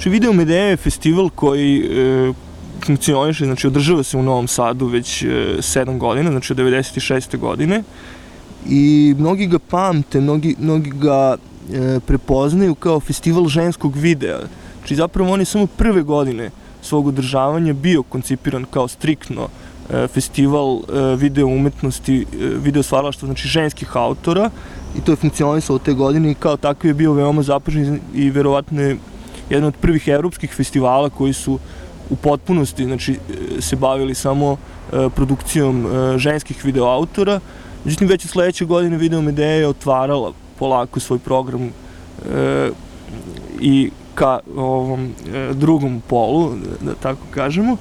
Znači, Video Medeja je festival koji funkcioniše, znači održava se u Novom Sadu već 7 godina, znači od 96. godine. I mnogi ga pamte, mnogi ga prepoznaju kao festival ženskog videa. Znači, zapravo on je samo prve godine svog održavanja bio koncipiran kao striktno festival video umetnosti, video stvaralaštva, znači ženskih autora, i to je funkcionisalo te godine i kao takav je bio veoma zapažen i verovatno je jedan od prvih evropskih festivala koji su u potpunosti, znači, se bavili samo produkcijom ženskih videoautora. Međutim, već u sledeće godine Video Medeja je otvarala polako svoj program i ka ovom drugom polu, da tako kažemo.